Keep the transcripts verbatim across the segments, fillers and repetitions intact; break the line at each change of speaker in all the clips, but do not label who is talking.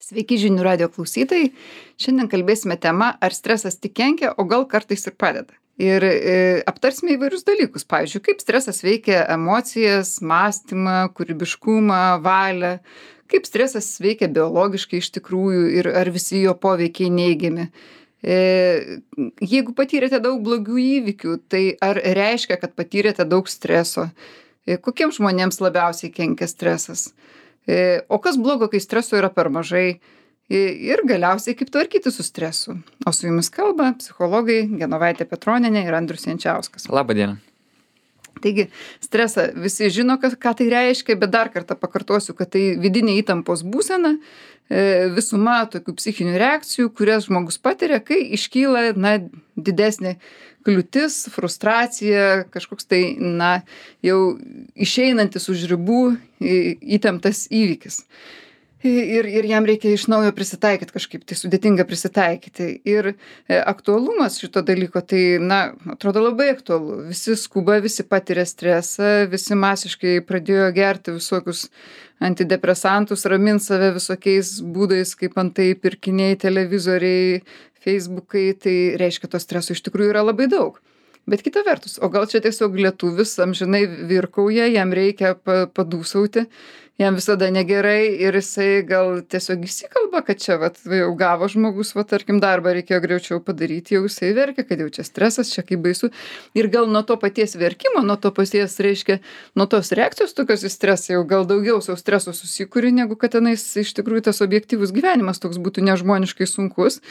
Sveiki žinių radio klausytojai. Šiandien kalbėsime tema, ar stresas tik kenkia, o gal kartais ir padeda. Ir e, aptarsime įvairius dalykus. Pavyzdžiui, kaip stresas veikia emocijas, mąstymą, kūrybiškumą, valią. Kaip stresas veikia biologiškai iš tikrųjų ir ar visi jo poveikiai neigiami. E, jeigu patyrėte daug blogų įvykių, tai ar reiškia, kad patyrėte daug streso? E, kokiems žmonėms labiausiai kenkia stresas? E, o kas blogo, kai streso yra per mažai? E, ir galiausiai, kaip tvarkyti su stresu? O su jumis kalba psichologai Genovaitė Petronienė ir Andrius Jančiauskas.
Labą dieną.
Taigi, stresą visi žino, ką, ką tai reiškia, bet dar kartą pakartosiu, kad tai vidinė įtampos būsena, e, visuma tokių psichinių reakcijų, kurias žmogus patiria, kai iškyla na, didesnė kliūtis, frustracija, kažkoks tai, na, jau išeinantis už ribų įtemptas įvykis. Ir, ir jam reikia iš naujo prisitaikyti kažkaip, tai sudėtinga prisitaikyti. Ir e, aktualumas šito dalyko, tai, na, atrodo labai aktualu. Visi skuba, visi patiria stresą, visi masiškai pradėjo gerti visokius antidepresantus, ramint save visokiais būdais, kaip antai pirkiniai, televizoriai, feisbukai, tai reiškia, to streso iš tikrųjų yra labai daug. Bet kita vertus, o gal čia tiesiog lietuvis amžinai virkauja, jam reikia pa, padūsauti, jam visada negerai ir jisai gal tiesiog įsikalba, kad čia vat, jau gavo žmogus, va, tarkim, darbą reikėjo greičiau padaryti, jau jisai verkia, kad jau čia stresas, čia kaip baisu. Ir gal nuo to paties verkimo, nuo to paties, reiškia, nuo tos reakcijos tokios į stresą jau gal daugiau savo streso susikūri, negu kad tenais iš tikrųjų tas objektyvus gyvenimas toks būtų nežmoniškai sunkus.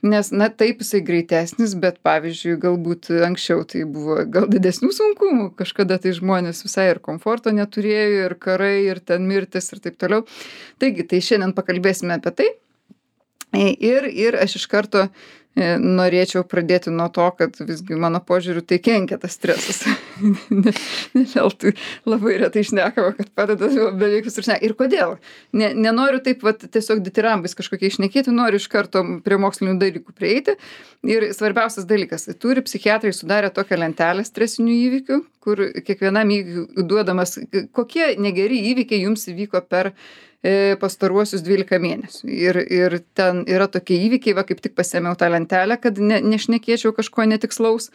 Nes, na, taip jisai greitesnis, bet pavyzdžiui, galbūt anksčiau tai buvo gal didesnių sunkumų, kažkada tai žmonės visai ir komforto neturėjo, ir karai, ir ten mirtis ir taip toliau. Taigi, tai šiandien pakalbėsime apie tai. Ir, ir aš iš karto e, norėčiau pradėti nuo to, kad visgi mano požiūriu tai kenkia tas stresas. ne, ne veltui labai retai šnekama, kad padeda beveik visur šneka. Ir kodėl? Ne, nenoriu taip vat, tiesiog ditirambais kažkokiai šnekėti, noriu iš karto prie mokslinių dalykų prieiti. Ir svarbiausias dalykas, turi psichiatrai sudarę tokią lentelę stresinių įvykių, kur kiekvienam įvykiu duodamas, kokie negeri įvykiai jums įvyko per pastaruosius dvylika mėnesių. Ir, ir ten yra tokie įvykiai, va kaip tik pasėmiau tą lentelę, kad ne, nešnekėčiau kažko netikslaus.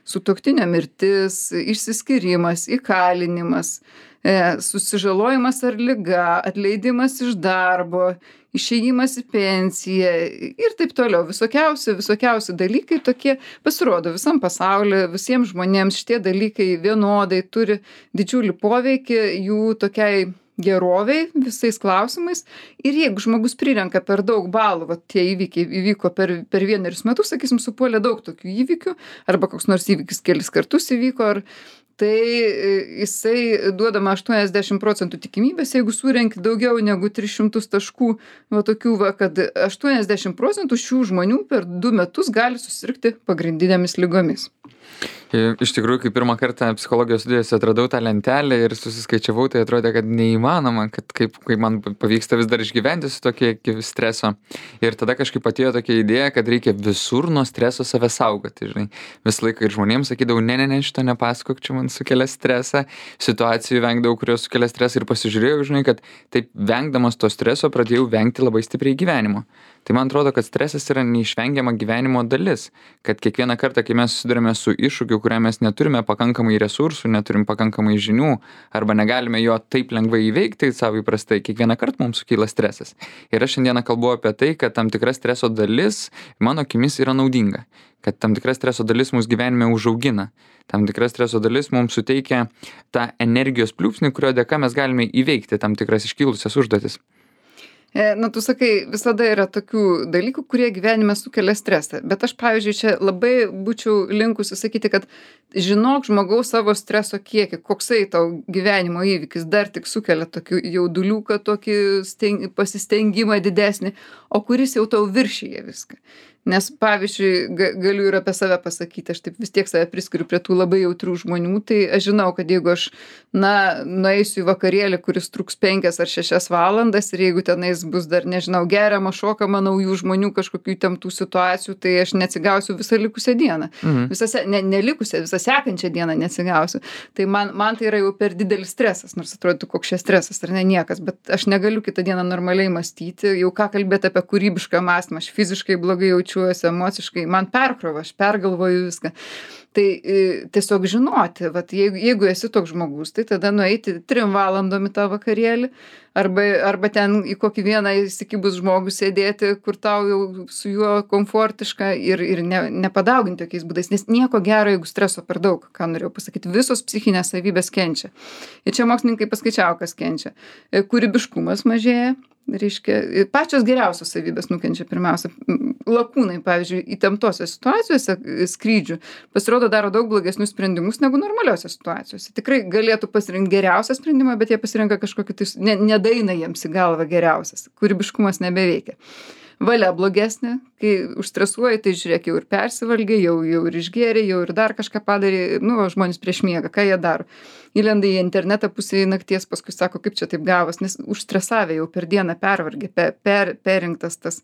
Sutuoktinio mirtis, išsiskyrimas, įkalinimas, e, susižalojimas ar liga, atleidimas iš darbo, išėjimas į pensiją ir taip toliau. Visokiausi, visokiausi dalykai tokie pasirodo visam pasaulyje, visiems žmonėms šitie dalykai vienodai turi didžiulį poveikį jų tokiai geroviai visais klausimais. Ir jeigu žmogus prirenka per daug balų, va tie įvykiai įvyko per, per vienerius metus, sakysim, supuolė daug tokių įvykių, arba koks nors įvykis kelis kartus įvyko, ar, tai jisai duodama aštuoniasdešimt procentų tikimybės, jeigu surenki daugiau negu tris šimtus taškų, va tokių, va, kad aštuoniasdešimt procentų šių žmonių per du metus gali susirgti pagrindinėmis ligomis.
Iš tikrųjų, kai pirmą kartą psichologijos studijose atradau tą lentelę ir susiskaičiavau, tai atrodė, kad neįmanoma, kad kaip, kaip man pavyksta vis dar išgyventi su tokie streso. Ir tada kažkaip atėjo tokia idėja, kad reikia visur nuo streso save saugoti. Žinai. Visą laiką ir žmonėms sakydavau, ne, ne, ne, šito nepasakok, čia man sukelia stresą. Situacijų vengdavau, kurios sukelia stresą ir pasižiūrėjau, žinai, kad taip vengdamas to streso pradėjau vengti labai stipriai gyvenimo. Tai man atrodo, kad stresas yra neišvengiama gyvenimo dalis, kad kiekvieną kartą, kai mes susidurime su iššūkiu, kuriam mes neturime pakankamai resursų, neturim pakankamai žinių, arba negalime jo taip lengvai įveikti savo įprastai, kiekvieną kartą mums sukyla stresas. Ir aš šiandieną kalbu apie tai, kad tam tikra streso dalis mano akimis yra naudinga, kad tam tikra streso dalis mūsų gyvenime užaugina, tam tikra streso dalis mums suteikia tą energijos pliūpsnį, kurio dėka mes galime įveikti tam tikras iškilusias užduotis.
Na, tu sakai, visada yra tokių dalykų, kurie gyvenime sukelia stresą. Bet aš, pavyzdžiui, čia labai būčiau linkusi sakyti, kad žinok žmogaus savo streso kiekį, koksai tau gyvenimo įvykis dar tik sukelia tokį jauduliuką, tokį steng, pasistengimą didesnį, o kuris jau tau viršyje viską. Nes, pavyzdžiui, ga galiu ir apie save pasakyti, aš taip vis tiek save priskiriu prie tų labai jautrių žmonių, tai aš žinau, kad jeigu aš, na, nueisiu į vakarėlį, kuris truks penkias ar šešias valandas ir jeigu tenais bus dar, nežinau, geriama, šokama naujų žmonių, kažkokių įtemptų situacijų, tai aš neatsigausiu visą likusią dieną.
Mhm.
Visą, se- ne, nelikusią, visą sekančią dieną neatsigausiu. Tai man, man tai yra jau per didelis stresas, nors atrodytų, koks čia stresas, ar ne niekas, bet aš negaliu kitą dieną normaliai mąstyti, jau ką kalbėti apie kūrybišką mąstymą, aš fiziškai blogai jaučiuosi, emociškai, man perkrova, aš pergalvoju viską. Tai e, tiesiog žinoti, vat, jeigu, jeigu esi toks žmogus, tai tada nueiti trim valandom į tą vakarėlį, arba, arba ten į kokį vieną įsikibus žmogų sėdėti, kur tau jau su juo komfortiška ir, ir ne, nepadauginti tokiais būdais, nes nieko gero, jeigu streso per daug, ką norėjau pasakyti, visos psichinės savybės kenčia. Ir čia mokslininkai paskaičiavo, kas kenčia. E, Kūrybiškumas mažėja, reiškia, pačios geriausios savybės nukenčia pirmiausia. Lakūnai, pavyzdžiui, įtemptose situacijose skrydžių pasirodo daro daug blogesnius sprendimus negu normaliose situacijose. Tikrai galėtų pasirinkti geriausią sprendimą, bet jie pasirenka kažkokį, tai ne, nedaina jiems į galvą geriausias. Kūrybiškumas nebeveikia. Valia blogesnė, kai užstresuoji, tai žiūrėk, jau ir persivalgė, jau, jau ir išgėrė, jau ir dar kažką padarė, nu, o žmonės prieš miegą, ką jie daro. Įlenda į internetą pusėje nakties, paskui sako, kaip čia taip gavos, nes užstresavę jau per dieną pervargė, per, per, perinktas tas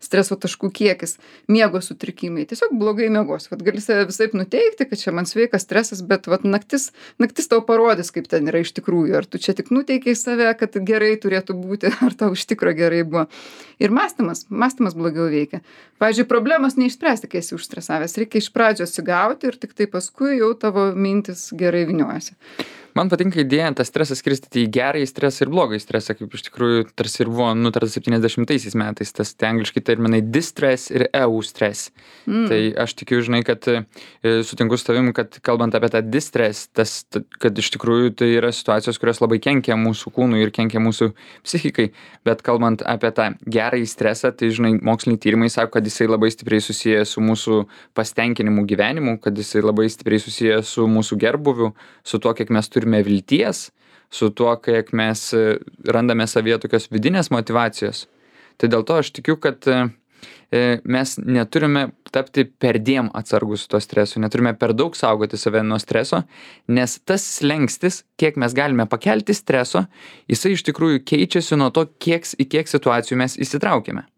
streso taškų kiekis, miego sutrikimai, tiesiog blogai miegos. Vat gali save visaip nuteikti, kad čia man sveikas stresas, bet vat naktis, naktis tau parodys, kaip ten yra iš tikrųjų, ar tu čia tik nuteikiai save, kad gerai turėtų būti, ar tau iš tikro gerai buvo. Ir mąstymas, mąstymas blogiau veikia. Pavyzdžiui, problemos neišspręsti, kai esi užstresavęs, reikia iš pradžio atsigauti ir tik tai paskui jau tavo mintis gerai vyniojasi.
Man patinka idėja tą stresą skirstyti į gerąjį stresą ir blogąjį stresą, kaip iš tikrųjų tarsi ir buvo nutarta septyniasdešimtaisiais metais, tas tai angliškai terminai distress ir eustress. Mm. Tai aš tikiu, žinai, kad e, sutinku su tavim, kad kalbant apie tą distress, tas, t- kad iš tikrųjų tai yra situacijos, kurios labai kenkia mūsų kūnui ir kenkia mūsų psichikai, bet kalbant apie tą gerąjį stresą, tai, žinai, moksliniai tyrimai sako, kad jisai labai stipriai susijęs su mūsų pasitenkinimu gyvenimu, kad jisai labai stipriai susijęs su mūsų gerbuviu, su tuo, kiek mes turime turime vilties, su tuo, kiek mes randame savyje tokios vidinės motyvacijos. Tai dėl to aš tikiu, kad mes neturime tapti perdėm atsargus su to stresu, neturime per daug saugoti save nuo streso, nes tas slengstis, kiek mes galime pakelti streso, jisai iš tikrųjų keičiasi nuo to, kiek, į kiek situacijų mes įsitraukėme.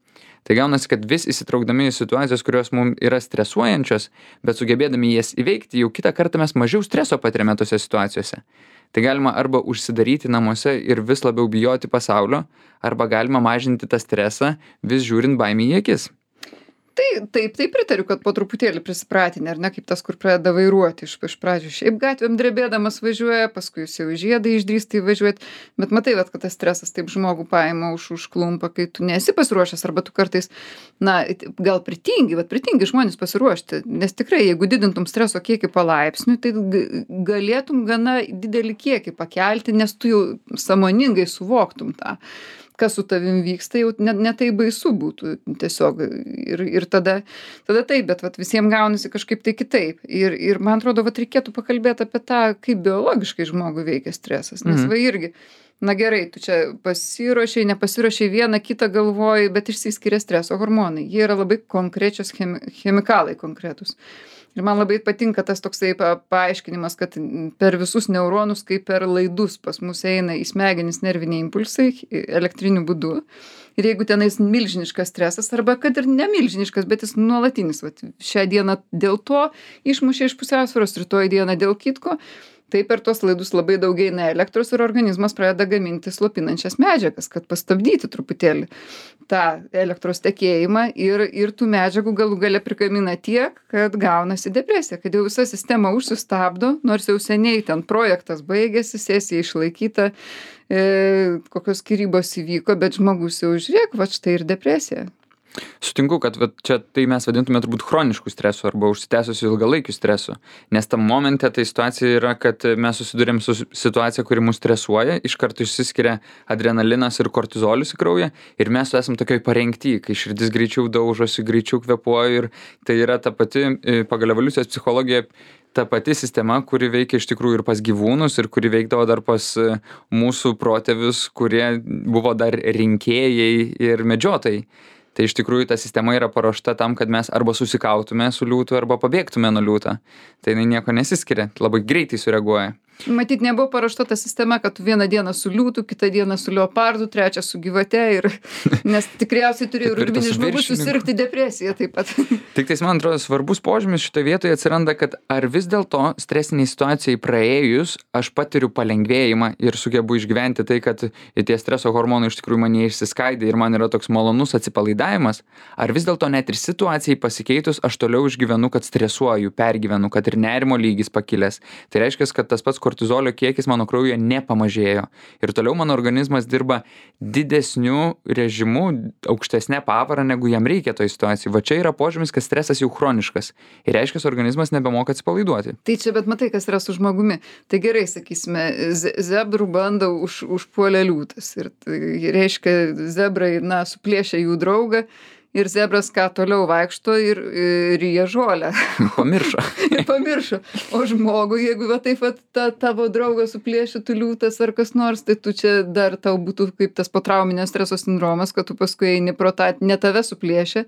Tai gaunasi, kad vis įsitraukdami į situacijas, kurios mums yra stresuojančios, bet sugebėdami jas įveikti, jau kitą kartą mes mažiau streso patiriame tose situacijose. Tai galima arba užsidaryti namuose ir vis labiau bijoti pasaulio, arba galima mažinti tą stresą, vis žiūrint baimį į akis.
Tai taip, tai pritariu, kad po truputėlį prisipratinė, ar ne, kaip tas, kur pradeda vairuoti iš, iš pradžių. Šiaip gatvėm drebėdamas važiuoja, paskui jis jau žiedą išdrįsta įvažiuoti, bet matai, vat, kad tas stresas taip žmogų paima už užklumpa, kai tu nesi pasiruošęs, arba tu kartais, na, gal pritingi, bet pritingi žmonės pasiruošti, nes tikrai, jeigu didintum streso kiekį palaipsniui, tai galėtum gana didelį kiekį pakelti, nes tu jau sąmoningai suvoktum tą, kas su tavim vyksta, jau ne, ne tai baisu būtų tiesiog. Ir, ir tada, tada taip, bet vat, visiems gaunasi kažkaip tai kitaip. Ir, ir man atrodo, vat, reikėtų pakalbėti apie tą, kaip biologiškai žmogų veikia stresas. Nes mm. va irgi, na gerai, tu čia pasiruošiai, nepasiruošiai, vieną kitą galvoji, bet išsiskiria streso hormonai. Jie yra labai konkrečios chemi, chemikalai konkretus. Ir man labai patinka tas toksai pa, paaiškinimas, kad per visus neuronus, kaip per laidus pas mus eina į smegenis nerviniai impulsai elektriniu būdu. Ir jeigu tenais milžiniškas stresas, arba kad ir nemilžiniškas, bet jis nuolatinis, vat, šią dieną dėl to išmušė iš pusiausvyros, rytoj dieną dėl kitko, tai per tuos laidus labai daug eina elektros ir organizmas pradeda gaminti slopinančias medžiagas, kad pastabdyti truputėlį tą elektros tekėjimą ir, ir tų medžiagų galų gale prikamina tiek, kad gaunasi depresija, kad jau visa sistema užsistabdo, nors jau seniai ten projektas baigėsi, sesija išlaikyta, e, kokios skyrybos įvyko, bet žmogus jau žiūrėk, va štai ir depresija.
Sutinku, kad va, čia tai mes vadintume turbūt chroniškų stresų arba užsitęsusių ilgalaikių stresų, nes tam momente tai situacija yra, kad mes susidurėm su situacija, kuri mus stresuoja, iš karto išsiskiria adrenalinas ir kortizolis į kraują ir mes esam tokioj parengty, kai širdis greičiau daužosi, greičiau kvėpuoja ir tai yra ta pati pagal evoliucijos psichologiją ta pati sistema, kuri veikia iš tikrųjų ir pas gyvūnus ir kuri veikdavo dar pas mūsų protėvius, kurie buvo dar rinkėjai ir medžiotojai. Tai iš tikrųjų ta sistema yra paruošta tam, kad mes arba susikautume su liūtu, arba pabėgtume nuo liūto. Tai jinai nieko nesiskiria, labai greitai sureaguoja.
Matyt, nebuvo paruošta ta sistema, kad tu vieną dieną su liūtu, kitą dieną su leopardu, trečią su gyvate ir nes tikriausiai turėjo
Taip ir tas
urbinis žmogus
viršininku.
susirgti depresiją taip pat.
Tik tais, man atrodo, svarbus požymis šitoje vietoje atsiranda, kad ar vis dėlto stresiniai situacijai praėjus, aš patiriu palengvėjimą ir sugebu išgyventi tai, kad tie streso hormonai iš tikrųjų mane išsiskaidė ir man yra toks malonus atsipalaidavimas, ar vis dėlto net ir situacijai pasikeitus, aš toliau išgyvenu, kad stresuoju, pergyvenu, kad ir nerimo lygis pakilęs. Tai reiškia, kad tas pats kortizolio kiekis mano kraujyje nepamažėjo. Ir toliau mano organizmas dirba didesniu režimu, aukštesnė pavara, negu jam reikia toj situacijai. Va čia yra požymis, kad stresas jau chroniškas. Ir reiškia, organizmas nebemoka atsipalaiduoti.
Tai čia, bet matai, kas yra su žmogumi. Tai gerai, sakysime, ze- zebrų bando už, užpuolė liūtas. Ir tai reiškia, zebrai, na, suplėšė jų draugą. Ir zebras ką toliau vaikšto ir ir ryja žolę.
Pamiršo.
Ir pamiršo. O žmogui, jeigu va taip vat ta tavo draugas suplėšytų liūtas ar kas nors, tai tu čia dar tau būtų kaip tas potrauminio streso sindromas, kad tu paskui eini pro tą, ne tave suplėšė,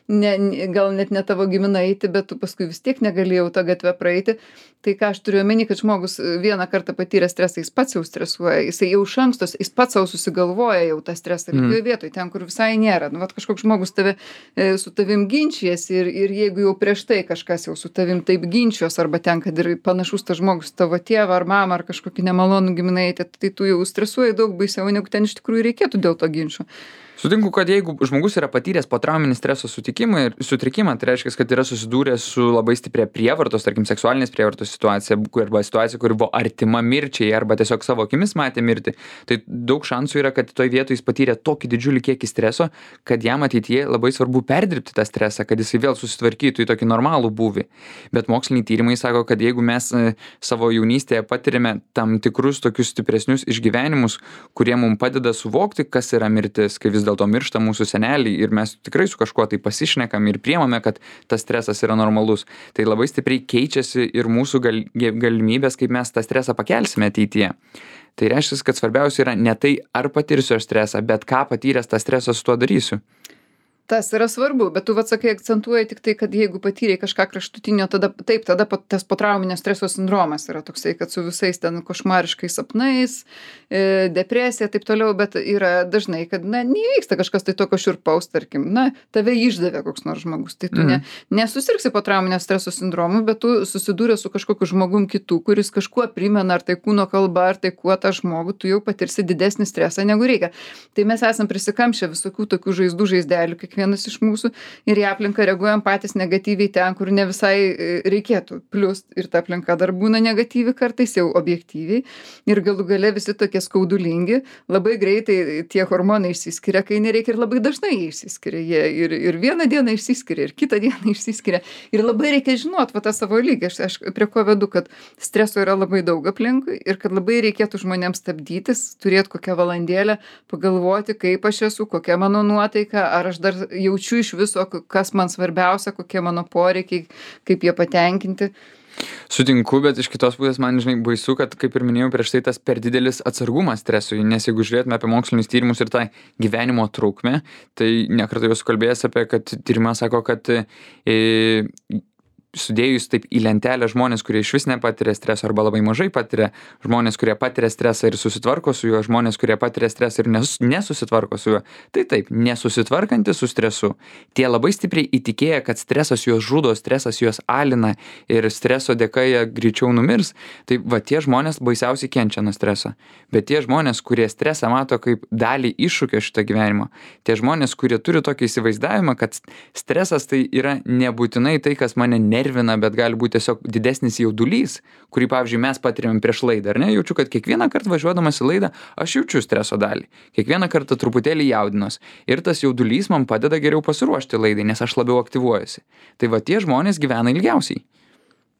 ne, ne- gal net ne tavo giminaitį, bet tu paskui vis tiek negalėjau tą gatvę praeiti. Tai ką aš turiu omeny, kad žmogus vieną kartą patyrė stresą, jis pats jau stresuoja, jisai jau iš anksto, jis pats savo susigalvoja jau tą stresą lygioje vietoje, ten, kur visai nėra. Nu, vat kažkoks žmogus tave, e, su tavim ginčijasi ir, ir jeigu jau prieš tai kažkas jau su tavim taip ginčijos, arba ten, kad ir panašus tas žmogus tavo tėvą ar mamą ar kažkokį nemalonų giminaitį, tai tu jau stresuoji daug baisiau, negu ten iš tikrųjų reikėtų dėl to ginčio.
Sutinku, kad jeigu žmogus yra patyręs potrauminį streso sutikimą ir sutrikimą, tai reiškia, kad yra susidūręs su labai stipria prievartos, tarkim, seksualinės prievartos situacija, kur- arba situacija, kuri buvo artima mirčiai, arba tiesiog savo akimis matė mirtį, tai daug šansų yra, kad toj vietoje jis patyrė tokį didžiulį kiekį streso, kad jam ateityje labai svarbu perdirbti tą stresą, kad jisai vėl susitvarkytų į tokį normalų būvį. Bet moksliniai tyrimai sako, kad jeigu mes e, savo jaunystėje patiriame tam tikrus tokius stipresnius išgyvenimus, kurie mums padeda suvokti, kas yra mirtis, kai vis dėlto miršta mūsų seneliai ir mes tikrai su kažkuo tai pasišnekam ir priemame, kad tas stresas yra normalus, tai labai stipriai keičiasi ir mūsų gal, galimybės, kaip mes tą stresą pakelsime ateityje. Tai reiškia, kad svarbiausia yra ne tai, ar patirsiu aš stresą, bet ką patyręs tą stresą su tuo darysiu.
Tas yra svarbu, bet tu vat sakai, akcentuoji tik tai, kad jeigu patyrei kažką kraštutinio, tada taip, tada pat tas potrauminio streso sindromas yra toksai, kad su visais ten košmariškais sapnais, e, depresija, taip toliau, bet yra dažnai, kad, na, neįvyksta kažkas tai tokio šiurpaus, tarkim, na, tave išdavė koks nors žmogus, tai tu
Mhm.
ne, nesusirgsi potrauminio streso sindromu, bet tu susidūrė su kažkokiu žmogum kitu, kuris kažkuo primena, ar tai kūno kalba, ar tai kuo tą žmogų, tu jau patirsi didesnį stresą negu reikia. Tai mes esam prisikamšę visokių tokių žaizdų, žaizdelių, kiekvienas iš mūsų, ir į aplinką reaguojam patys negatyviai ten, kur ne visai e, reikėtų. Plius ir ta aplinka dar būna negatyvi kartais jau objektyviai. Ir galų gale visi tokie skaudulingi, labai greitai tie hormonai išsiskiria, kai nereikia, ir labai dažnai jie išsiskiria. Jie ir, ir vieną dieną išsiskiria, ir kitą dieną išsiskiria. Ir labai reikia žinot va tą savo lygį. Aš, aš prie ko vedu, kad streso yra labai daug aplinkui ir kad labai reikėtų žmonėms stabdytis, turėti kokią valandėlę, pagalvoti, kaip aš esu, kokia mano nuotaika, ar aš dar jaučiu iš viso, kas man svarbiausia, kokie mano poreikiai, kaip jie patenkinti.
Sutinku, bet iš kitos pusės man, žinai, baisu, kad, kaip ir minėjau prieš tai, tas per didelis atsargumas stresui, nes jeigu žiūrėtume apie mokslinius tyrimus ir tą gyvenimo trukmę, tai nekartą jau kalbėjęs apie, kad tyrimas sako, kad e, sudėjus taip į lentelę žmonės, kurie iš vis nepatiria streso arba labai mažai patiria, žmonės, kurie patiria stresą ir susitvarko su juo, žmonės, kurie patiria stresą ir nesus, nesusitvarko su juo. Tai taip, nesusitvarkanti su stresu, tie labai stipriai įtikėję, kad stresas juos žudo, stresas juos alina ir streso dėka jie greičiau numirs, tai va tie žmonės baisiausiai kenčia nuo streso. Bet tie žmonės, kurie stresą mato kaip dalį iššūkio šito gyvenimo, tie žmonės, kurie turi tokį įsivaizdavimą, kad stresas tai yra nebūtinai tai, kas mane nervina, nervina, bet gali būti tiesiog didesnis jaudulys, kurį, pavyzdžiui, mes patiriam prieš laidą, ar ne? Jaučiu, kad kiekvieną kartą važiuodamas į laidą, aš jaučiu streso dalį. Kiekvieną kartą truputėlį jaudinos. Ir tas jaudulys man padeda geriau pasiruošti laidai, nes aš labiau aktyvuojuosi. Tai va tie žmonės gyvena ilgiausiai.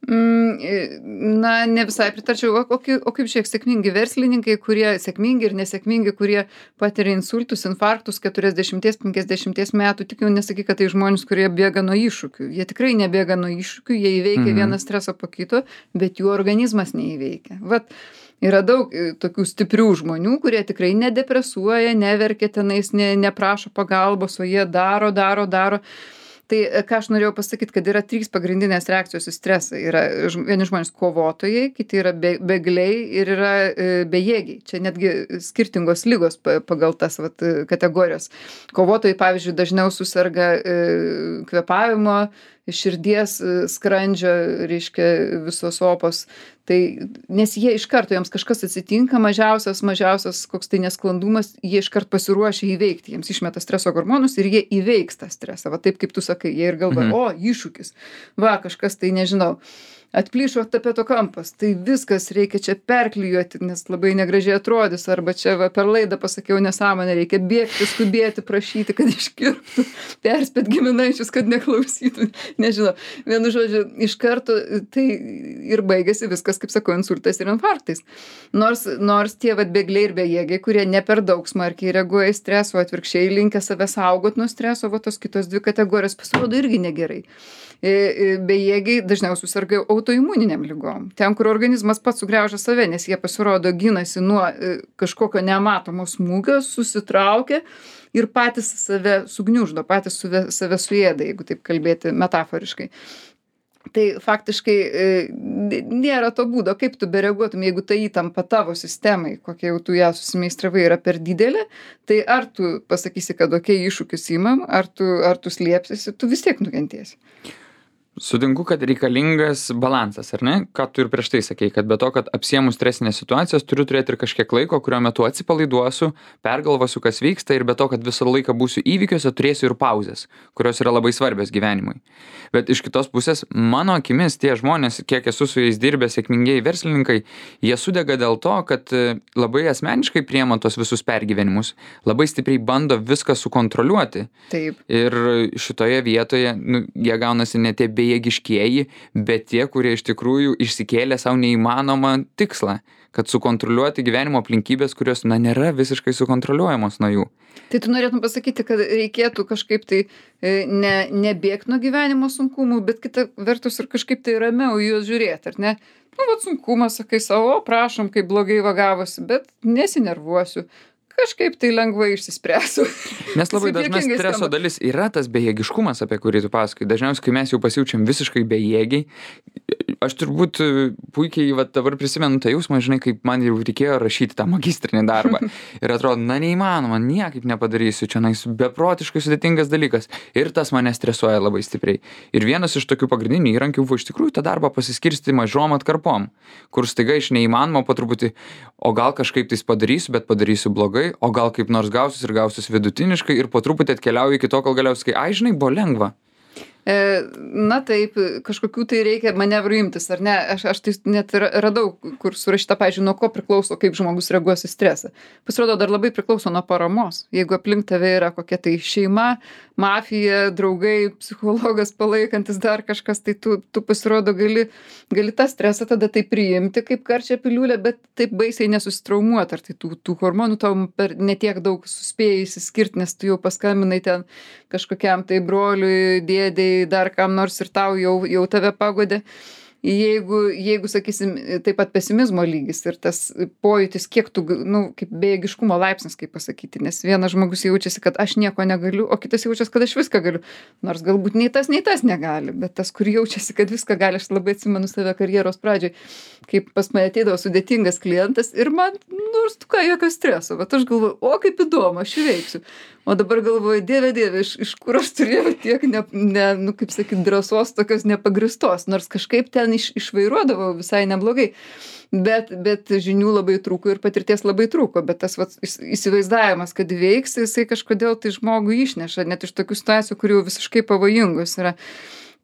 Na, ne visai pritarčiau. O, o, kaip- o kaip šiek sėkmingi verslininkai, kurie sėkmingi ir nesėkmingi, kurie patiria insultus, infarktus keturiasdešimties penkiasdešimties metų, tik jau nesakyk, kad tai žmonės, kurie bėga nuo iššūkių. Jie tikrai nebėga nuo iššūkių, jie įveikia
Mhm.
vieną stresą po kito, bet jų organizmas neįveikia. Vat Yra daug e, tokių stiprių žmonių, kurie tikrai nedepresuoja, neverkia tenais, ne, neprašo pagalbos, o jie daro, daro, daro. Tai e, ką aš norėjau pasakyt, kad yra trys pagrindinės reakcijos į stresą. Yra žm- vieni žmonės kovotojai, kiti yra be, begliai ir yra e, bejėgiai. Čia netgi skirtingos lygos pa- pagal tas vat, e, kategorijas. Kovotojai, pavyzdžiui, dažniau susirga e, kvėpavimo, širdies, e, skrandžio, reiškia visos opos. Tai, nes jie iš karto, jiems kažkas atsitinka, mažiausias, mažiausias koks tai nesklandumas, jie iškart pasiruošia įveikti, jiems išmeta streso hormonus ir jie įveiks tą stresą. Va taip, kaip tu sakai, jie ir galvoja,
Mhm.
o, iššūkis, va, kažkas tai nežinau. Atplyšo tapeto kampas, tai viskas reikia čia perklijuoti, nes labai negražiai atrodys, arba čia va, per laidą pasakiau nesąmonę, reikia bėgti, skubėti, prašyti, kad iškirptų, perspėt giminaičius, kad neklausytų, nežinau. Vienu žodžiu, iš karto tai ir baigėsi viskas, kaip sakau, insultais ir infarktais. Nors, nors tie vat bėgliai ir bejėgiai, kurie ne per daug smarkiai reaguoja į stresą, o atvirkščiai linkę save saugot nuo streso, va tos kitos dvi kategorijos pasirodo irgi negerai. E, e, Bejėgiai dažniausiai susirga autoimuniniam ligom. Ten, kur organizmas pats sugriaužia save, nes jie pasirodo ginasi nuo e, kažkokio nematomo smūgio, susitraukia ir patys save sugniuždo, patys suve- save suėda, jeigu taip kalbėti metaforiškai. Tai faktiškai e, n- nėra to būdo, kaip tu bereaguotum, jeigu ta įtampa tavo sistemai, kokia jau tu ją susimeistravai, yra per didelė, tai ar tu pasakysi, kad okei, iššūkis imam, ar tu, ar tu slėpsiesi, tu vis tiek nukentėsi.
Sutinku, kad reikalingas balansas, ar ne? Ką tu ir prieš tai sakei, kad be to, kad apsiemus stresinės situacijas, turiu turėti ir kažkiek laiko, kurio metu atsipalaiduosiu, pergalvosiu, kas vyksta ir be to, kad visą laiką būsiu įvykiuose, turėsiu ir pauzes, kurios yra labai svarbios gyvenimui. Bet iš kitos pusės, mano akimis, tie žmonės, kiek esu su jais dirbę, sėkmingieji verslininkai, jie sudega dėl to, kad e, labai asmeniškai priema tos visus pergyvenimus, labai stipriai bando viską sukontroliuoti.
Taip.
Ir šitoje vietoje nu, jie gaunasi ne tie bejėgiškieji, bet tie, kurie iš tikrųjų išsikėlė savo neįmanomą tikslą, kad sukontroliuoti gyvenimo aplinkybės, kurios, na, nėra visiškai sukontroliuojamos nuo jų.
Tai tu norėtum pasakyti, kad reikėtų kažkaip tai e, ne, nebėgti nuo gyvenimo sunkumų, bet kita vertus ir kažkaip tai ramiau į juos žiūrėti, ar ne? Nu, vat sunkumas, sakai savo, prašom, kaip blogai vagavosi, bet nesinervuosiu. Kažkaip tai lengvai išsispręsiu.
Nes labai
Taip
dažnai
juokingai
streso
skamba.
dalis yra tas bejėgiškumas, apie kurį tu pasakai. Dažniausiai, kai mes jau pasijaučiam visiškai bejėgiai, aš turbūt e, puikiai va, dabar prisimenu tą jausmą, žinai, kaip man jau reikėjo rašyti tą magistrinį darbą. Ir atrodo, na neįmanoma, niekaip nepadarysiu, čia nais beprotiškai sudėtingas dalykas. Ir tas mane stresuoja labai stipriai. Ir vienas iš tokių pagrindinių įrankių buvo iš tikrųjų tą darbą pasiskirsti mažom atkarpom, kur staiga iš neįmanoma po truputį, o gal kažkaip tais padarysiu, bet padarysiu blogai, o gal kaip nors gausis ir gausis vidutiniškai ir po truputį atkeliauju iki to, kol galiausiai, ai, žinai, buvo lengva.
E, Na taip, kažkokių tai reikia manevrų imtis, ar ne? Aš, aš tai net ra- radau, kur surašyta, pavyzdžiui, nuo ko priklauso, kaip žmogus reaguos į stresą. Pasirodo, dar labai priklauso nuo paramos. Jeigu aplink tave yra kokia tai šeima, mafija, draugai, psichologas palaikantis dar kažkas, tai tu, tu pasirodo gali, gali tą stresą tada tai priimti kaip karčią piliulę, bet taip baisiai nesusitraumuoti. Ar tai tų, tų hormonų tau per netiek daug suspėjai išsiskirti, nes tu jau paskambinai ten kažkokiam tai broliui, dėdei, dar kam nors ir tau jau, jau tave pagodė. Jeigu, jeigu, sakysim, taip pat pesimizmo lygis ir tas pojūtis, kiek tu, nu, kaip bejėgiškumo laipsnis, kaip pasakyti, nes vienas žmogus jaučiasi, kad aš nieko negaliu, o kitas jaučiasi, kad aš viską galiu. Nors galbūt nei tas, nei tas negali, bet tas, kur jaučiasi, kad viską gali, aš labai atsimenu save karjeros pradžioj, kaip pas mane ateidavo sudėtingas klientas ir man, nors tu ką, jokio streso, bet aš galvoju, o kaip įdomu, aš įveiksiu. O dabar galvoju, dieve, dieve, iš, iš kur aš turėjau tiek, ne, ne, nu, kaip sakyt, drąsos tokios nepagristos, nors kažkaip ten iš, išvairuodavau visai neblogai. Bet, bet žinių labai trūko ir patirties labai trūko, bet tas vat, įs- įsivaizdavimas, kad veiks, jisai kažkodėl tai žmogų išneša, net iš tokių situacijų, kurių visiškai pavojingos yra.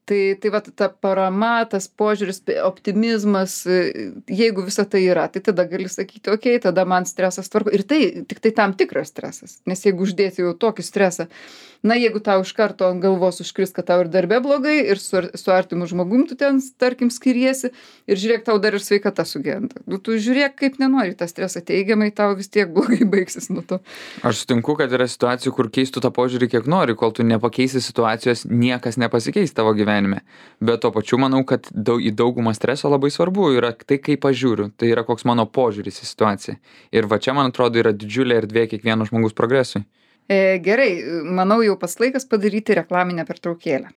Tai, tai va ta parama, tas požiūris, optimizmas, e, jeigu visa tai yra, tai tada gali sakyti, okei, tada man stresas tvarko. Ir tai tik tai tam tikras stresas. Nes jeigu uždėti jau tokį stresą, Na, jeigu tau iš karto ant galvos užkris, kad tau ir darbe blogai, ir su, ar- su artimu žmogum tu ten, tarkim, skiriesi, ir žiūrėk, tau dar ir sveikata sugenda. Nu, tu žiūrėk, kaip nenori tą stresą teigiamai, tau vis tiek blogai baigsis nuo to.
Aš sutinku, kad yra situacijų, kur keistų tą požiūrį kiek nori, kol tu nepakeisi situacijos, niekas nepasikeis tavo gyvenime. Bet tuo pačiu manau, kad daug, į daugumą streso labai svarbu yra tai, kaip aš žiūriu, tai yra koks mano požiūris į situaciją. Ir va čia, man atrodo, yra didžiulė erdvė kiekvieno žmogaus progresui.
E, gerai, manau, jau pas laikas padaryti reklaminę pertraukėlę.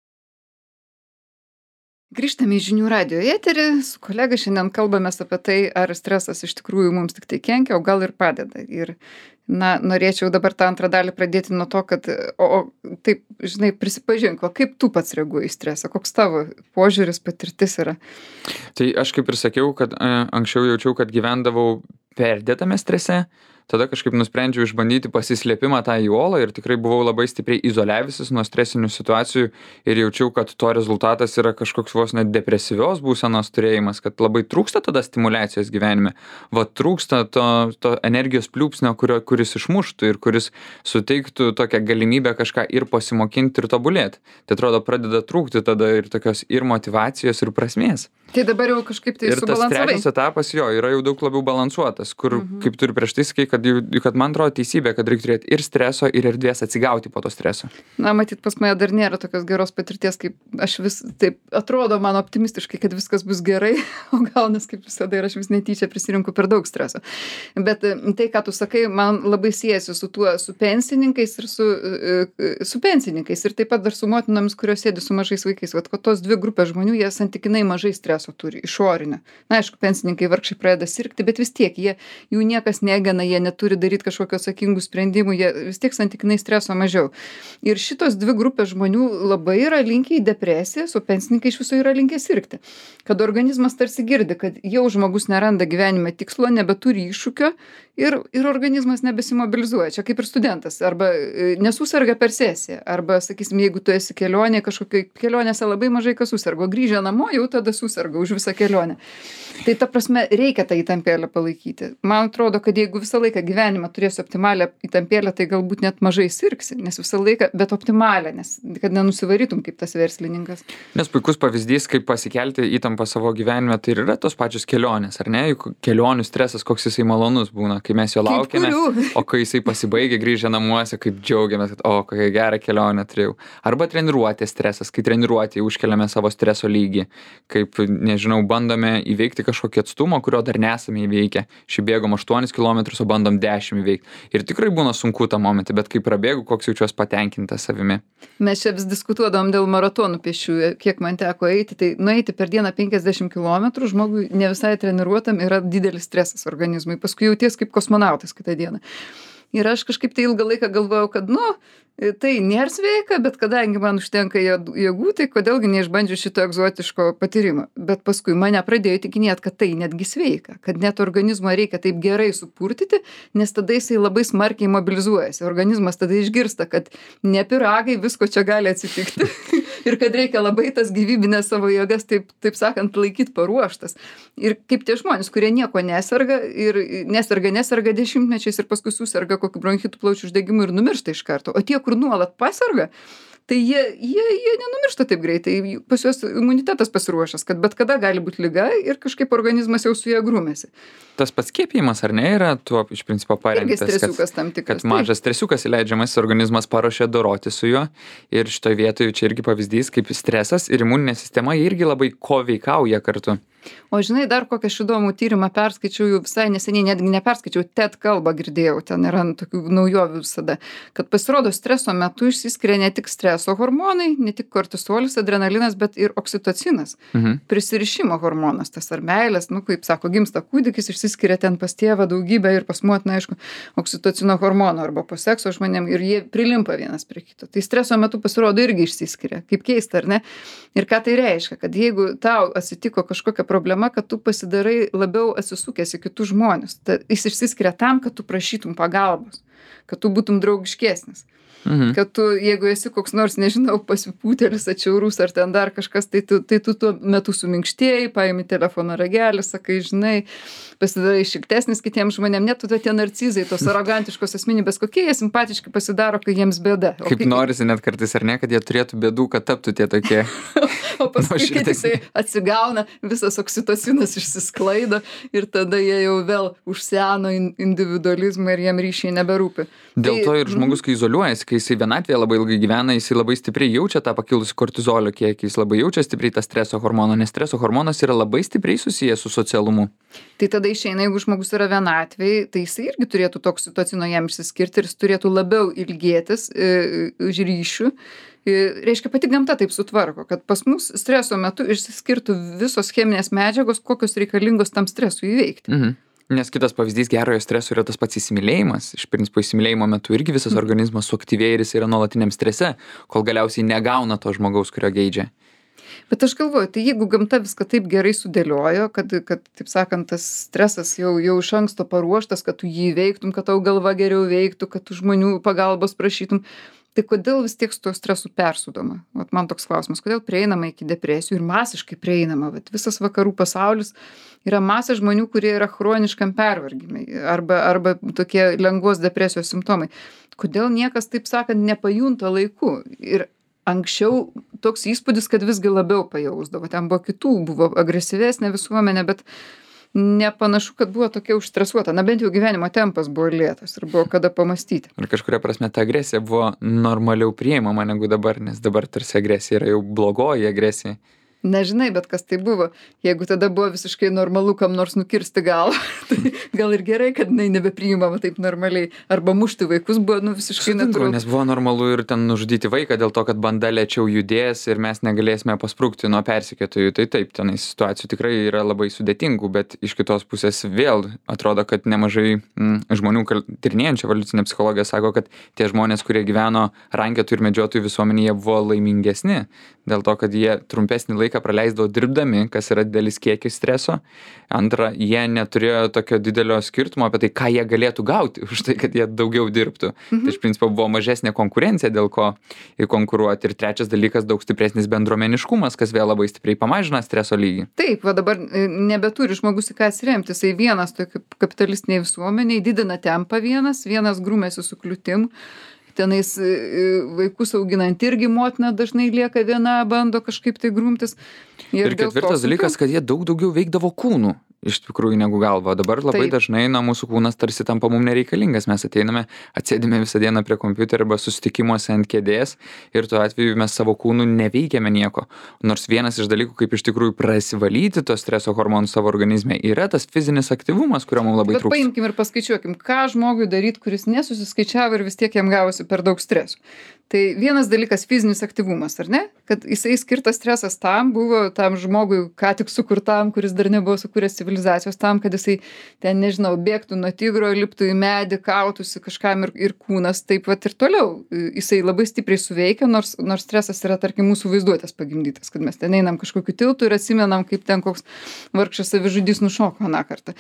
Grįžtame į žinių radijo eterį, su kolega šiandien kalbamės apie tai, ar stresas iš tikrųjų mums tik tai kenkia, o gal ir padeda. Ir, na, norėčiau dabar tą antrą dalį pradėti nuo to, kad, o, o taip, žinai, prisipažink, o kaip tu pats reaguoji į stresą, koks tavo požiūris, patirtis yra.
Tai aš kaip ir sakiau, kad e, anksčiau jaučiau, kad gyvendavau perdėtame strese, tada kažkaip nusprendžiau išbandyti pasislėpimą tą į uolą ir tikrai buvau labai stipriai izoliavęsis nuo stresinių situacijų ir jaučiau, kad to rezultatas yra kažkoks vos net depresyvios būsenos turėjimas, kad labai trūksta tada stimulacijos gyvenime. Va trūksta to, to energijos pliūpsnio, kurio, kuris išmuštų ir kuris suteiktų tokią galimybę kažką ir pasimokinti ir tobulėti. Tai atrodo pradeda trūkti tada ir tokios ir motyvacijos ir prasmės.
Tai dabar jau kažkaip tai
ir tas
subalansavai.
trečias etapas jo yra jau daug labiau balansuotas, kur, mhm. kaip tu ir prieš tai sakai, kad, jau- kad man atrodo teisybė, kad reikia turėti ir streso, ir erdvės atsigauti po to streso.
Na, matyt, pas mane dar nėra tokios geros patirties, kaip aš vis, taip atrodo man optimistiškai, kad viskas bus gerai, o gaunas kaip visada ir aš vis netyčia prisirinku per daug streso. Bet e, tai, ką tu sakai, man labai siejasi su tuo, su pensininkais ir su, e, e, su pensininkais ir taip pat dar su motinomis, kurios sėdi su mažais vaikais. Vat, kad tos dvi grupės žmonių, jie santykinai mažai streso turi, išorinę. Na, aišku, pensininkai vargšai pradeda sirgti, bet vis tiek jie, jų niekas negena, jie neturi daryti kažkokių atsakingų sprendimų, jie vis tiek santykinai streso mažiau. Ir šitos dvi grupės žmonių labai yra linkę į depresiją, o pensininkai iš viso yra linkę sirgti. Kad organizmas tarsi girdi, kad jau žmogus neranda gyvenime tikslo, nebeturi iššūkio ir, ir organizmas nebesimobilizuoja. Čia kaip ir studentas, arba e, nesusirga per sesiją, arba, sakysim, jeigu tu esi kelionė, kažkokioj kelionėse labai mažai kas susirgo, grįžę namo jau tada susirga už visą kelionę. Tai ta prasme, reikia tą įtampėlę palaikyti. Man atrodo, kad jeigu visą laiką gyvenimą turėsi optimalią įtampėlę, tai galbūt net mažai sirgsi, nes visą laiką, bet optimalią, nes kad nenusivarytum kaip tas verslininkas.
Nes puikus pavyzdys, kaip pasikelti įtampą savo gyvenime, tai ir yra tos pačios kelionės, ar ne? Juk kelionių stresas, koks jisai malonus būna, kai mes jo
Kaip
laukiame,
kurių.
o kai jisai pasibaigia grįžę namuose, kaip džiaugiamės, kad o, kokią gerą kelionę turėjau. Arba treniruotės stresas, kai treniruotėje užkeliame savo streso lygį, kaip, nežinau, bandome įveikti kažkokį atstumą, kurio dar nesame įveikę. Šį bėgom aštuonis kilometrus, o bandom dešimt įveikti. Ir tikrai būna sunku tą momentą, bet kai prabėgu, koks jaučiuos patenkintas savimi.
Mes čia vis diskutuodavom dėl maratonų pėsčiųjų, kiek man teko eiti, tai nueiti per dieną penkiasdešimt kilometrų žmogui ne visai treniruotam yra didelis stresas organizmui. Paskui jauties kaip kosmonautas kitą dieną. Ir aš kažkaip tai ilgą laiką galvojau, kad, nu, tai nėra sveika, bet kadangi man užtenka jėd- jėgų, tai kodėlgi neišbandžiu šito egzotiško patyrimo. Bet paskui mane pradėjo įtikinėti, kad tai netgi sveika, kad net organizmą reikia taip gerai supurtyti, nes tada jisai labai smarkiai mobilizuojasi. Organizmas tada išgirsta, kad ne piragai, visko čia gali atsitikti. Ir kad reikia labai tas gyvybinės savo jėgas, taip, taip sakant, laikyti paruoštas. Ir kaip tie žmonės, kurie nieko neserga ir neserga, neserga dešimtmečiais ir paskui susirga kokiu bronchitų plaučių uždegimu ir numiršta iš karto. O tie, kur nuolat paserga, tai jie, jie, jie nenumiršta taip greitai. Pas juos imunitetas pasiruošęs, kad bet kada gali būti liga ir kažkaip organizmas jau su ją grūmėsi.
Tas pats skiepijimas, ar ne, yra tuo iš principo
Irgi
paremtas,
stresiukas tam
kad,
tikras.
kad mažas stresiukas įleidžiamas, organizmas paruošia doroti su juo. Ir šitoje vietoje čia irgi pavyzdys, kaip stresas ir imuninė sistema jie irgi labai koveikauja kartu.
O žinai, dar kokią aš įdomų tyrimą perskaičiau jau visai neseniai, netgi neperskaičiau, TED kalbą girdėjau, ten yra tokių naujovių visada, kad pasirodo streso metu išsiskiria ne tik streso hormonai, ne tik kortisolis, adrenalinas, bet ir oksitocinas.
Mhm.
Prisirišimo hormonas, tas ar meilės, nu, kaip sako, gimsta kūdikis, išsiskiria ten pas tėvą daugybę ir pas motiną, aišku, oksitocino hormonų arba po sekso žmonėm ir jie prilimpa vienas prie kito. Tai streso metu pasirodo irgi išsiskiria, kaip keista, ar ne? Ir ką tai reiškia, kad jeigu tau atsitiko kažkokia problema, kad tu pasidarai labiau atsisukęs į kitus žmonės. Ta, jis išsiskiria tam, kad tu prašytum pagalbos, kad tu būtum draugiškesnis.
Mhm.
Kad tu, jeigu esi koks nors, nežinau, pasipūtėlis, atšiaurus ar ten dar kažkas, tai tu, tai tu tuo metu suminkštėjai, paimi telefono ragelį, sakai, žinai, pasidarai šiltesnis kitiems žmonėms, net tu tie narcizai, tos arogantiškos asmenybės, kokie jie simpatiški pasidaro, kai jiems bėda. O
Kaip
kai...
norisi net kartais, ar ne, kad jie turėtų bėdų, kad taptų tie tokie.
O paskui, kai
nuoširdesni.
jisai atsigauna, visas oksitocinas išsisklaido ir tada jie jau vėl užseno in- individualizmą ir jiem ryšiai neberūpi.
Dėl to ir žmogus, kai izoliuojasi, kai jisai vienatvėje labai ilgai gyvena, jisai labai stipriai jaučia tą pakilusį kortizolio kiekį, jis labai jaučia stipriai tą streso hormoną, nes streso hormonas yra labai stipriai susijęs su socialumu.
Tai tada išeina, jeigu žmogus yra vienatvėj, tai jisai irgi turėtų to oksitocino jam išsiskirti ir jis turėtų labiau ilgėtis e, už ryšių. E, reiškia, pati gamta taip sutvarko, kad pas mus streso metu išsiskirtų visos cheminės medžiagos, kokios reikalingos tam stresui įveikti.
Mhm. Nes kitas pavyzdys gerojo streso yra tas pats įsimylėjimas. Iš principo įsimylėjimo metu irgi visas organizmas suaktyvėja ir jis yra nuolatiniam strese, kol galiausiai negauna to žmogaus, kurio geidžia.
Bet aš galvoju, tai jeigu gamta viską taip gerai sudėliojo, kad, kad taip sakant, tas stresas jau, jau iš anksto paruoštas, kad tu jį veiktum, kad tau galva geriau veiktų, kad tu žmonių pagalbos prašytum, tai kodėl vis tiek su to stresu persudoma? Vat man toks klausimas, kodėl prieinama iki depresijų ir masiškai prieinama? Vat visas vakarų pasaulis yra masė žmonių, kurie yra chroniškam pervargimai arba, arba tokie lengvos depresijos simptomai. Kodėl niekas, taip sakant, nepajunta laiku? Ir anksčiau toks įspūdis, kad visgi labiau pajausdavo. Ten buvo kitų, buvo agresyvesnė visuomenė, bet nepanašu, kad buvo tokia užstresuota. Na bent jau gyvenimo tempas buvo lėtas ir buvo kada pamastyti.
Ir kažkuria prasme ta agresija buvo normaliau priimama negu dabar, nes dabar tarsi agresija yra jau blogoji agresija.
Nežinai, bet kas tai buvo. Jeigu tada buvo visiškai normalu kam nors nukirsti galvą, tai gal ir gerai, kad jinai nebepriimama taip normaliai. Arba mušti vaikus buvo nu, visiškai
Sutinku,
natūralu.
nes buvo normalu ir ten nužudyti vaiką dėl to, kad banda lėčiau judės ir mes negalėsime pasprukti nuo persekiotojų. Tai taip, tenai situacijų tikrai yra labai sudėtingų, bet iš kitos pusės vėl atrodo, kad nemažai mm, žmonių kal- tyrinėjančių evoliucinę psichologiją sako, kad tie žmonės, kurie gyveno rankėtų ir medžiotojų visuomenėje, buvo laimingesni dėl to, kad jie trumpesnį laiką praleisdavo dirbdami, kas yra didelis kiekis streso. Antra, jie neturėjo tokio didelio skirtumo apie tai, ką jie galėtų gauti už tai, kad jie daugiau dirbtų. Mhm. Tai iš principo buvo mažesnė konkurencija, dėl ko konkuruoti. Ir trečias dalykas, daug stipresnis bendruomeniškumas, kas vėl labai stipriai pamažina streso lygį.
Taip, va dabar e, nebeturi žmogus į ką atsiremti. Jisai vienas tokio kapitalistiniai visuomeniai didina tempą vienas, vienas grūmėsi su kliūtim. Tenais e, vaikus auginant irgi motina dažnai lieka viena, bando kažkaip tai grumtis.
Ir, ir
dėl to
ketvirtas dalykas, kad jie daug daugiau veikdavo kūnų iš tikrųjų negu galva. Dabar labai
Taip.
dažnai na, mūsų kūnas tarsi tampa mum nereikalingas. Mes ateiname, atsėdime visą dieną prie kompiuterio arba susitikimuose ant kėdės ir tuo atveju mes savo kūnų neveikiame nieko. Nors vienas iš dalykų, kaip iš tikrųjų prasivalyti to streso hormonų savo organizme, yra tas fizinis aktyvumas, kurio mums labai
Bet
trūksta.
paimkim ir paskaičiuokim, ką žmogui daryti, kuris nesusiskaičiavo ir vis tiek jam gavosi per daug streso. Tai vienas dalykas fizinis aktyvumas, ar ne? Kad jisai skirtas stresas tam buvo, tam žmogui, ką tik sukurtam, kuris dar nebuvo sukūręs civilizacijos, tam, kad jisai ten, nežinau, bėgtų nuo tigro, liptų į medį, kautųsi kažkam ir, ir kūnas taip pat ir toliau. Jisai labai stipriai suveikia, nors, nors stresas yra, tarkim, mūsų vaizduotės pagimdytas, kad mes ten einam kažkokiu tiltu ir atsimenam, kaip ten koks vargšas savižudys nušoko aną kartą.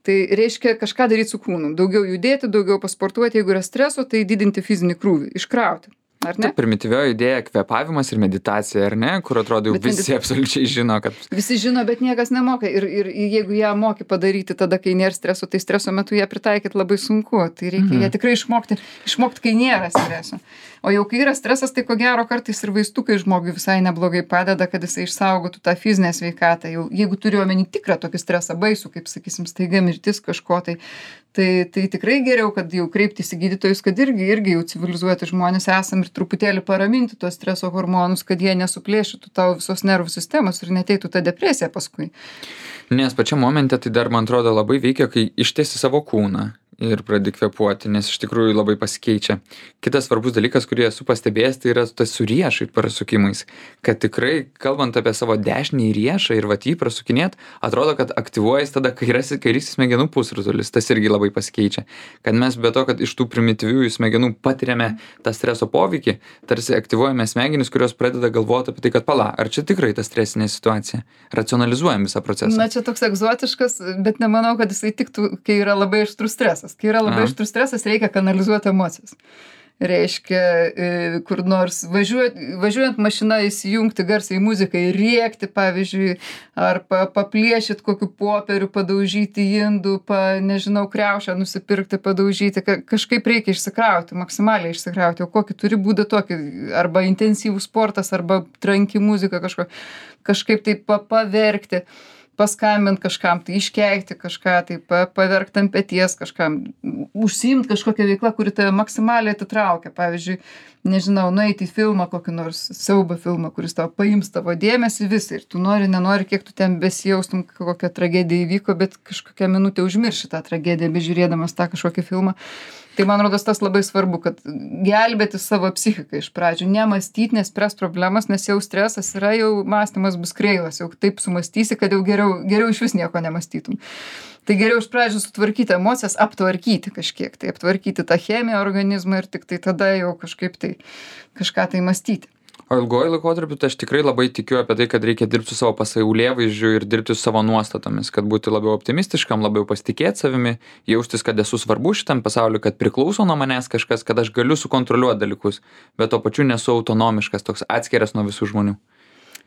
Tai reiškia kažką daryti su kūnu. Daugiau judėti, daugiau pasportuoti, jeigu yra streso, tai didinti fizinį krūvį, iškrauti. Ar ne?
Ta primityvioji idėja kvėpavimas ir meditacija, ar ne? Kur atrodo jau
Bet
visi
medita-
absoliučiai žino, kad
Visi žino, bet niekas nemoka. Ir, ir jeigu ją moki padaryti tada, kai nėra streso, tai streso metu ją pritaikyti labai sunku. Tai reikia
Mhm.
ją tikrai išmokti, išmokti, kai nėra streso. O jau kai yra stresas, tai ko gero kartais ir vaistukai žmogui visai neblogai padeda, kad jisai išsaugotų tą fizinę sveikatą. Jau, jeigu turiu omeny tikrą tokį stresą baisų, kaip sakysim, staiga mirtis kažko, tai, tai, tai tikrai geriau, kad jau kreiptis į gydytojus, kad irgi, irgi jau civilizuoti žmonės esam ir truputėlį paraminti tos streso hormonus, kad jie nesuplėšytų tavo visos nervų sistemos ir neteitų ta depresija paskui.
Nes pačiam momente tai dar, man atrodo, labai veikia, kai ištiesi savo kūną ir pradedi kvėpuoti, nes iš tikrųjų labai pasikeičia. Kitas svarbus dalykas, kurį esu pastebėjęs, tai yra tas su riešai prasukimais. Kad tikrai, kalbant apie savo dešinį riešą ir vat jį prasukinėt, atrodo, kad aktyvuojas tada kairėsis, kairysis smegenų pusrutulis. Tas irgi labai pasikeičia. Kad mes be to, kad iš tų primityviųjų smegenų patiriame tą streso poveikį, tarsi aktyvuojame smegenis, kurios pradeda galvoti apie tai, kad pala, ar čia tikrai ta stresinė situacija. Racionalizuojam visą procesą.
Na, čia toks egzotiškas, bet nemanau, kad jisai tiktų, kai yra labai aštrus stresas. Kai yra labai
Aha.
aštrus stresas, reikia kanalizuoti emocijas. reiškia, e, kur nors važiuot, važiuojant mašina įsijungti garsiai muzikai, rėkti, pavyzdžiui, ar pa, paplėšit kokiu popieriu, padaužyti indų, pa, nežinau, kriaušę nusipirkti, padaužyti, ka, kažkaip reikia išsikrauti, maksimaliai išsikrauti, o kokį turi būdą tokį, arba intensyvus sportas, arba tranki muzika kažko, kažkaip tai pa, paverkti, paskambint kažkam, tai iškeikti kažką, tai pa, paverkti ant peties kažkam, užsiimt kažkokią veiklą, kuri tave maksimaliai atitraukia. Pavyzdžiui, nežinau, nueiti į filmą, kokį nors siaubo filmą, kuris tau paims tavo dėmesį visą ir tu nori, nenori, kiek tu ten besijaustum, kokia tragedija įvyko, bet kažkokią minutę užmirši tą tragediją, bežiūrėdamas tą kažkokį filmą. Tai man rodos tas labai svarbu, kad gelbėti savo psichiką iš pradžių, nemąstyti, nespręs problemas, nes jau stresas yra, jau mąstymas bus kreivas, jau taip sumąstysi, kad jau geriau, geriau iš vis nieko nemąstytum. Tai geriau iš pradžių sutvarkyti emocijas, aptvarkyti kažkiek, tai aptvarkyti tą chemiją organizmą ir tik tai tada jau kažkaip tai kažką tai mąstyti.
O ilguoju laikotarpiu tai aš tikrai labai tikiu apie tai, kad reikia dirbti su savo pasaulėvaizdžiu ir dirbti su savo nuostatomis, kad būti labiau optimistiškam, labiau pasitikėti savimi, jaustis, kad esu svarbu šitam pasauliu, kad priklauso nuo manęs kažkas, kad aš galiu sukontroliuoti dalykus, bet tuo pačiu nesu autonomiškas, toks atskiras nuo visų žmonių.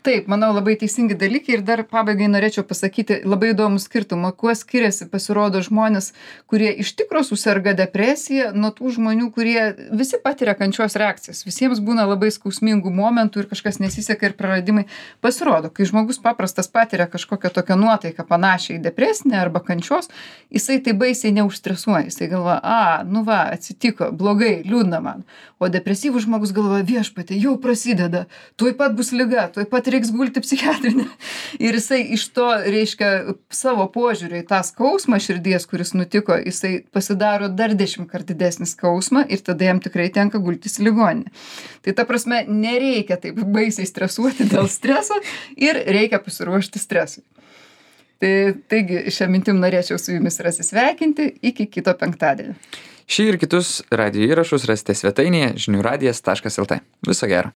Taip, manau, labai teisingi dalykai ir dar pabaigai norėčiau pasakyti labai įdomų skirtumą, kuo skiriasi pasirodo žmonės, kurie iš tikro susirga depresija nuo tų žmonių, kurie visi patiria kančios reakcijas. Visiems būna labai skausmingų momentų ir kažkas nesiseka ir praradimai. Pasirodo, kai žmogus paprastas patiria kažkokią tokią nuotaiką panašią į depresinę arba kančios, jisai tai baisiai neužstresuoja. Jisai galvoja, a, nu va, atsitiko, blogai, liūdna man. O depresyvus žmogus galvoja, viešpatie, jau prasideda, tuoj pat bus liga, tuoj pat reiks gulti psichiatrinę. Ir jisai iš to, reiškia, savo požiūrį į tą skausmą širdies, kuris nutiko, jisai pasidaro dar dešimt kart didesnį skausmą ir tada jam tikrai tenka gultis į ligoninę. Tai ta prasme, nereikia taip baisiai stresuoti dėl streso ir reikia pasiruošti stresui. Tai, taigi, šią mintim norėčiau su jumis ir atsisveikinti iki kito penktadienio.
Šį ir kitus radijo įrašus rasite svetainėje žinių radijas taškas lt. Viso gero.